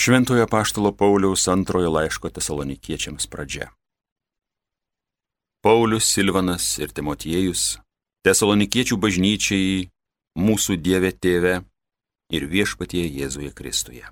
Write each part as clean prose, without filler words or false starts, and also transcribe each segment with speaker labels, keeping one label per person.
Speaker 1: Šventojo apaštalo Pauliaus antrojo laiško Tesalonikiečiams pradžia. Paulius, Silvanas ir Timotiejus, Tesalonikiečių bažnyčiai, mūsų Dieve Tėve ir Viešpatie Jėzuje Kristuje.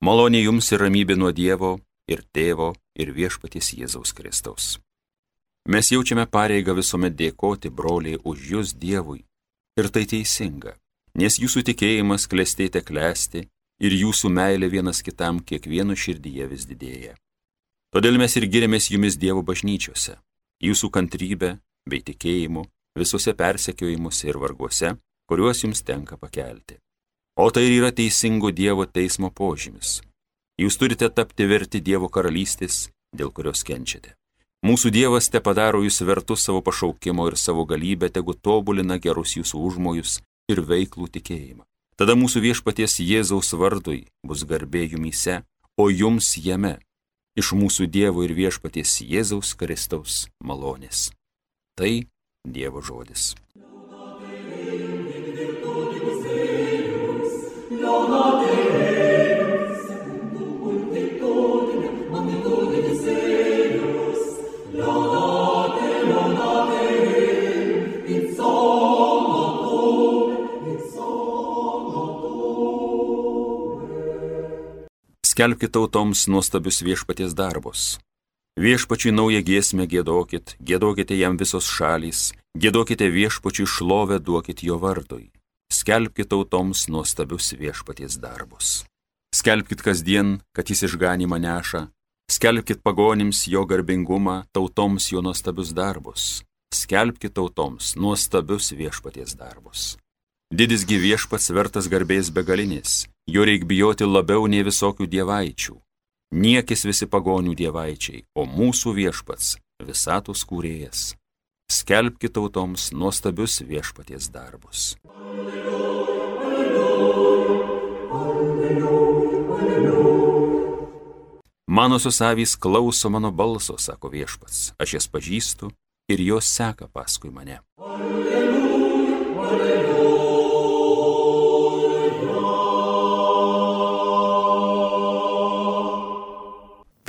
Speaker 1: Malonė jums ir ramybė nuo Dievo ir Tėvo ir Viešpaties Jėzaus Kristaus. Mes jaučiame pareigą visuomet dėkoti, broliai, už jūs Dievui, ir tai teisinga, nes jūsų tikėjimas klestėte klesti ir jūsų meilė vienas kitam kiekvieno širdyje vis didėja. Todėl mes ir giriamės jumis Dievo bažnyčiose, jūsų kantrybę bei tikėjimu visose persekiojimuose ir varguose, kuriuos jums tenka pakelti. O tai ir yra teisingo Dievo teismo požymis. Jūs turite tapti verti Dievo karalystės, dėl kurios kenčiate. Mūsų Dievas te padaro jūs vertus savo pašaukimo ir savo galybę tegu tobulina gerus jūsų užmojus ir veiklų tikėjimą. Tada mūsų Viešpaties Jėzaus vardui bus garbė jumyse, o jums jame, iš mūsų Dievo ir Viešpaties Jėzaus Kristaus malonės. Tai Dievo žodis. Skelbkite tautoms nuostabius Viešpaties darbus. Viešpačiui naują giesmę giedokit, giedokite jam visos šalys, giedokite Viešpačiui šlovę, duokit jo vardui. Skelbkite tautoms nuostabius Viešpaties darbus. Skelbkit kasdien, kad jis išganymą neša, skelbkit pagonims jo garbingumą, tautoms jo nuostabius darbus. Skelbkit tautoms nuostabius Viešpaties darbus. Didisgi Viešpats vertas garbės begalinės, jo reik bijoti labiau nei visokių dievaičių. Niekis visi pagonių dievaičiai, o mūsų Viešpats visatos kūrėjas. Skelbkit tautoms nuostabius Viešpaties darbus. Manosios avys klauso mano balso, sako Viešpats, aš jas pažįstu ir jos seka paskui mane.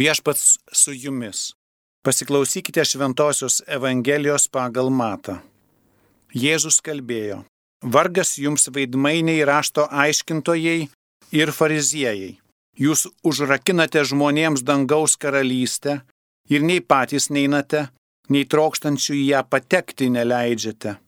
Speaker 2: Viešpats su jumis. Pasiklausykite Šventosios Evangelijos pagal Matą. Jėzus kalbėjo: Vargas jums veidmainiai, rašto aiškintojai ir fariziejai. Jūs užrakinate žmonėms dangaus karalystę ir nei patys neinate, nei trokštančių į ją patekti neleidžiate.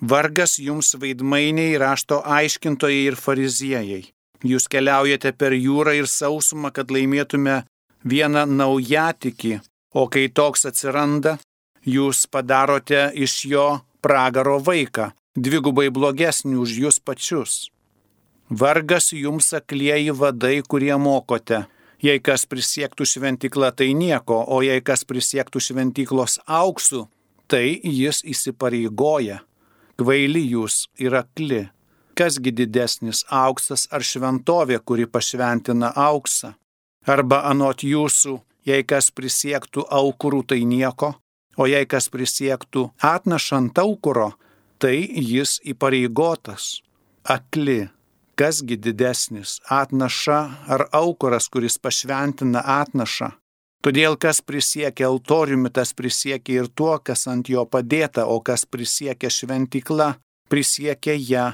Speaker 2: Vargas jums veidmainiai, rašto aiškintojai ir fariziejai. Jūs keliaujate per jūrą ir sausumą, kad laimėtume vieną naujatikį, o kai toks atsiranda, jūs padarote iš jo pragaro vaiką, dvigubai blogesnį už jūs pačius. Vargas jums aklieji vadai, kurie mokote. Jei kas prisiektų šventyklą, tai nieko, o jei kas prisiektų šventyklos auksu, tai jis įsipareigoja. Kvaili jūs ir akli. Kasgi didesnis, auksas ar šventovė, kuri pašventina auksą? Arba anot jūsų, jei kas prisiektų aukurų, tai nieko, o jei kas prisiektų atnašant aukuro, tai jis įpareigotas. Akli, kasgi didesnis, atnaša ar aukuras, kuris pašventina atnašą? Todėl kas prisiekia altoriumi, tas prisiekia ir tuo, kas ant jo padėta, o kas prisiekia šventykla, prisiekia ją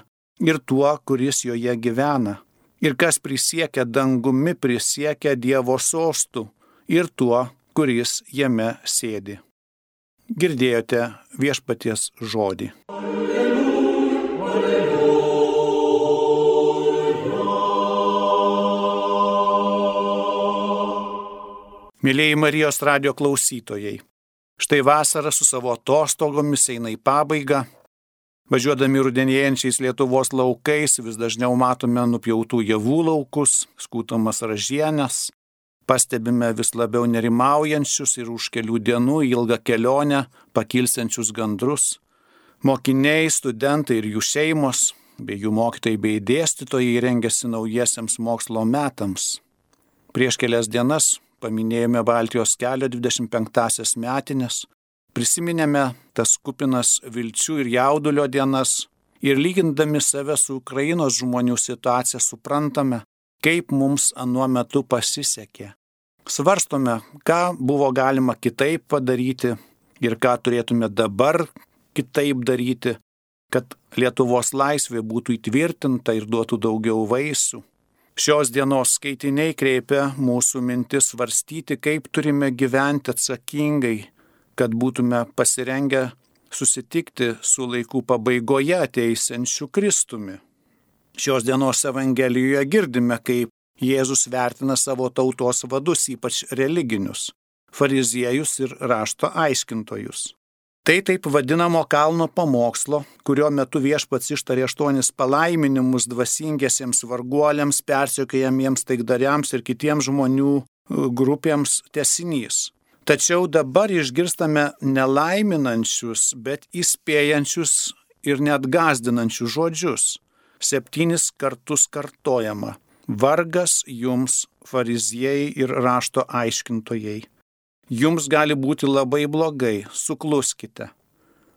Speaker 2: ir tuo, kuris joje gyvena. Ir kas prisiekia dangumi, prisiekia Dievo sostu ir tuo, kuris jame sėdi. Girdėjote Viešpaties žodį. Mėlieji Marijos radijo klausytojai, štai vasara su savo atostogomis eina į pabaigą. Važiuodami rudenėjančiais Lietuvos laukais vis dažniau matome nupjautų javų laukus, skūtomas ražienes, pastebime vis labiau nerimaujančius ir už kelių dienų ilgą kelionę pakilsiančius gandrus. Mokiniai, studentai ir jų šeimos, bei jų mokytojai bei dėstytojai rengiasi naujiesiems mokslo metams. Prieš kelias dienas paminėjome Baltijos kelio 25-asias metines. Prisiminėme tas kupinas vilčių ir jaudulio dienas ir lygindami save su Ukrainos žmonių situacija suprantame, kaip mums anuo metu pasisekė. Svarstome, ką buvo galima kitaip padaryti ir ką turėtume dabar kitaip daryti, kad Lietuvos laisvė būtų įtvirtinta ir duotų daugiau vaisių. Šios dienos skaitiniai kreipia mūsų mintis svarstyti, kaip turime gyventi atsakingai, kad būtume pasirengę susitikti su laikų pabaigoje ateisiančiu Kristumi. Šios dienos Evangelijoje girdime, kaip Jėzus vertina savo tautos vadus, ypač religinius, fariziejus ir rašto aiškintojus. Tai taip vadinamo kalno pamokslo, kurio metu Viešpats ištarė 8 palaiminimus dvasingiesiems varguoliams, persekiojamiems taikdariams ir kitiems žmonių grupėms tęsinys. Tačiau dabar išgirstame nelaiminančius, bet įspėjančius ir net gąsdinančius žodžius. 7 kartus kartojama: vargas jums, fariziejai ir rašto aiškintojai. Jums gali būti labai blogai, sukluskite.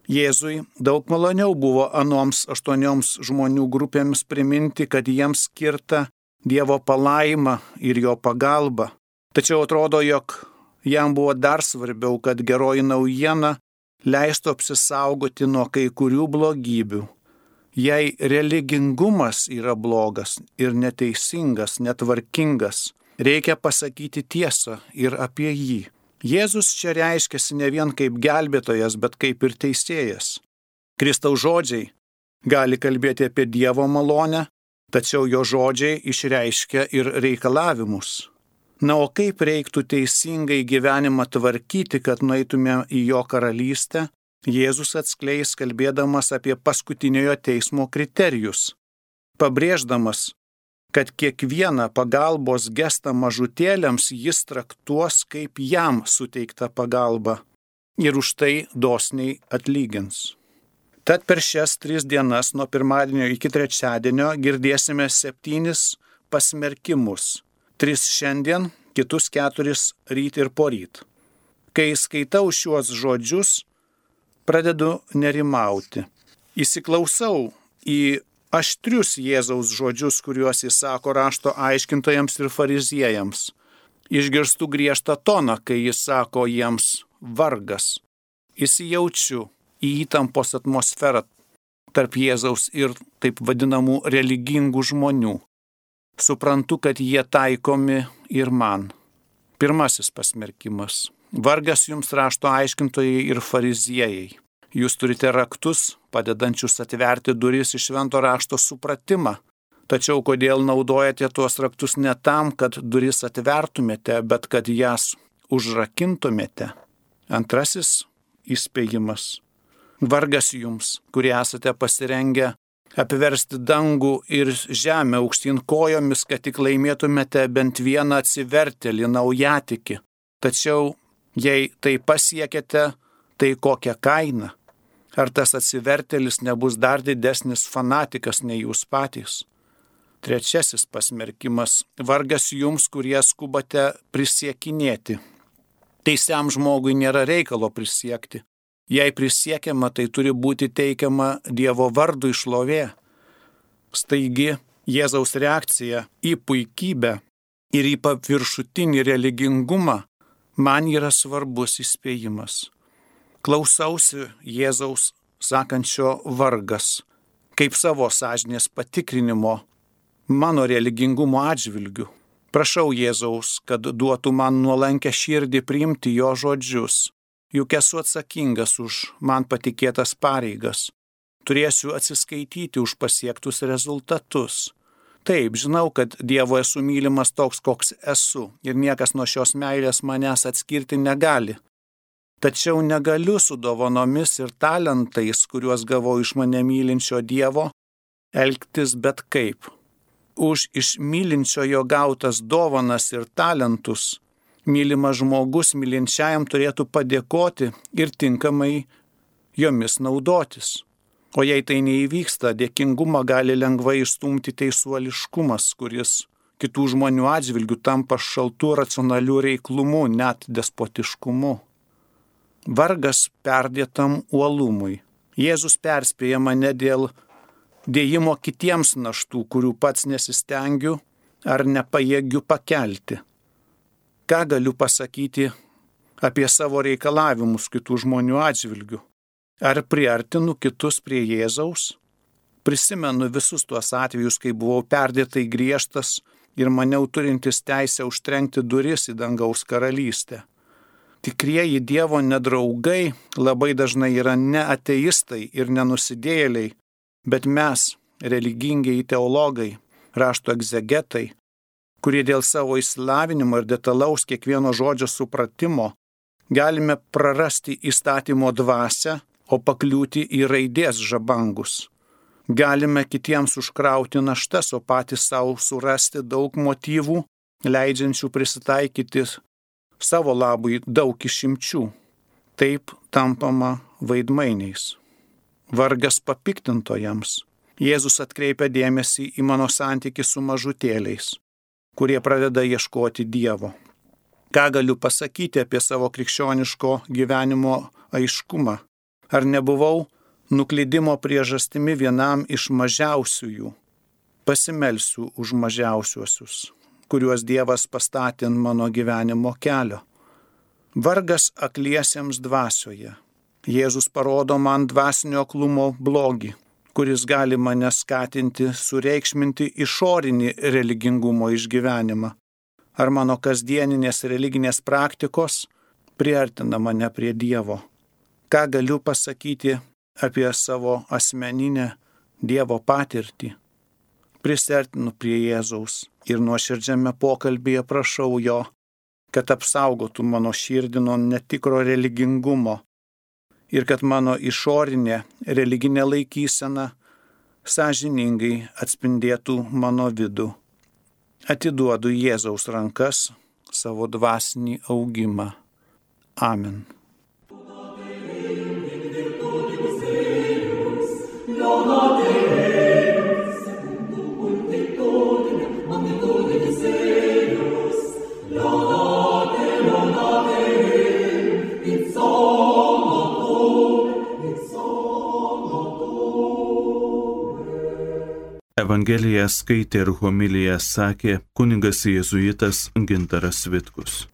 Speaker 2: Jėzui daug maloniau buvo anoms 8 žmonių grupėms priminti, kad jiems skirta Dievo palaima ir jo pagalba. Tačiau atrodo, jog jam buvo dar svarbiau, kad geroji naujiena leistų apsisaugoti nuo kai kurių blogybių. Jei religingumas yra blogas ir neteisingas, netvarkingas, reikia pasakyti tiesą ir apie jį. Jėzus čia reiškiasi ne vien kaip gelbėtojas, bet kaip ir teisėjas. Kristaus žodžiai gali kalbėti apie Dievo malonę, tačiau jo žodžiai išreiškia ir reikalavimus. Na, o kaip reiktų teisingai gyvenimą tvarkyti, kad nueitume į jo karalystę, Jėzus atskleis kalbėdamas apie paskutiniojo teismo kriterijus, pabrėždamas, kad kiekvieną pagalbos gestą mažutėliams jis traktuos kaip jam suteikta pagalba ir už tai dosniai atlygins. Tad per šias 3 dienas nuo pirmadienio iki trečiadienio girdėsime 7 pasmerkimus. 3 šiandien, kitus 4 ryt ir poryt. Kai skaitau šiuos žodžius, pradedu nerimauti. Įsiklausau į aštrius Jėzaus žodžius, kuriuos jis sako rašto aiškintojams ir fariziejams. Išgirstu griežtą toną, kai jis sako jiems vargas. Įsijaučiu į įtampos atmosferą tarp Jėzaus ir taip vadinamų religingų žmonių. Suprantu, kad jie taikomi ir man. Pirmasis pasmerkimas. Vargas jums rašto aiškintojai ir fariziejai. Jūs turite raktus, padedančius atverti duris į švento rašto supratimą. Tačiau kodėl naudojate tuos raktus ne tam, kad duris atvertumėte, bet kad jas užrakintumėte? Antrasis įspėjimas. Vargas jums, kurie esate pasirengę apversti dangų ir žemę aukštyn kojomis, kad tik laimėtumėte bent vieną atsivertėlį naujatikį. Tačiau jei tai pasiekėte, tai kokią kainą? Ar tas atsivertėlis nebus dar didesnis fanatikas nei jūs patys? Trečiasis pasmerkimas. Vargas jums, kurie skubate prisiekinėti. Teisiam žmogui nėra reikalo prisiekti. Jei prisiekiama, tai turi būti teikiama Dievo vardui šlovė. Staigi Jėzaus reakcija į puikybę ir į paviršutinį religingumą man yra svarbus įspėjimas. Klausausi Jėzaus sakančio vargas, kaip savo sąžinės patikrinimo mano religingumo atžvilgiu. Prašau Jėzaus, kad duotų man nuolankę širdį priimti jo žodžius, juk esu atsakingas už man patikėtas pareigas. Turėsiu atsiskaityti už pasiektus rezultatus. Taip, žinau, kad Dievo esu mylimas toks, koks esu, ir niekas nuo šios meilės manęs atskirti negali. Tačiau negaliu su dovanomis ir talentais, kuriuos gavau iš mane mylinčio Dievo, elgtis bet kaip. Už iš mylinčiojo gautas dovanas ir talentus mylimas žmogus mylinčiajam turėtų padėkoti ir tinkamai jomis naudotis. O jei tai neįvyksta, dėkingumą gali lengvai išstumti teisuoliškumas, kuris kitų žmonių atžvilgių tampa šaltų racionalių reiklumu, net despotiškumu. Vargas perdėtam uolumui. Jėzus perspėja mane dėl dėjimo kitiems naštų, kurių pats nesistengiu, ar nepajėgiu pakelti? Ką galiu pasakyti apie savo reikalavimus kitų žmonių atžvilgių? Ar priartinu kitus prie Jėzaus? Prisimenu visus tuos atvejus, kai buvau perdėtai griežtas ir maniau turintis teisę užtrenkti duris į dangaus karalystę. Tikrieji Dievo nedraugai labai dažnai yra ne ateistai ir nenusidėjėliai, bet mes, religingieji teologai, rašto egzegetai, kurie dėl savo išsilavinimo ir detalaus kiekvieno žodžio supratimo galime prarasti įstatymo dvasią, o pakliūti į raidės žabangus. Galime kitiems užkrauti naštas, o patys savo surasti daug motyvų, leidžiančių prisitaikyti savo labui daug išimčių. Taip tampama vaidmainiais. Vargas papiktintojams. Jėzus atkreipia dėmesį į mano santykį su mažutėliais, kurie pradeda ieškoti Dievo. Ką galiu pasakyti apie savo krikščioniško gyvenimo aiškumą? Ar nebuvau nuklydimo priežastimi vienam iš mažiausiųjų? Pasimelsiu už mažiausiuosius, kuriuos Dievas pastatė ant mano gyvenimo kelio. Vargas akliesiems dvasioje. Jėzus parodo man dvasinio aklumo blogį, kuris gali mane skatinti sureikšminti išorinį religingumo išgyvenimą. Ar mano kasdieninės religinės praktikos priartina mane prie Dievo? Ką galiu pasakyti apie savo asmeninę Dievo patirtį? Prisiartinu prie Jėzaus ir nuoširdžiame pokalbyje prašau jo, kad apsaugotų mano širdį nuo netikro religingumo ir kad mano išorinė religinė laikysena sąžiningai atspindėtų mano vidų. Atiduodu Jėzaus rankas savo dvasinį augimą. Amen.
Speaker 3: Evangeliją skaitė ir homiliją sakė kunigas jėzuitas Gintaras Vitkus.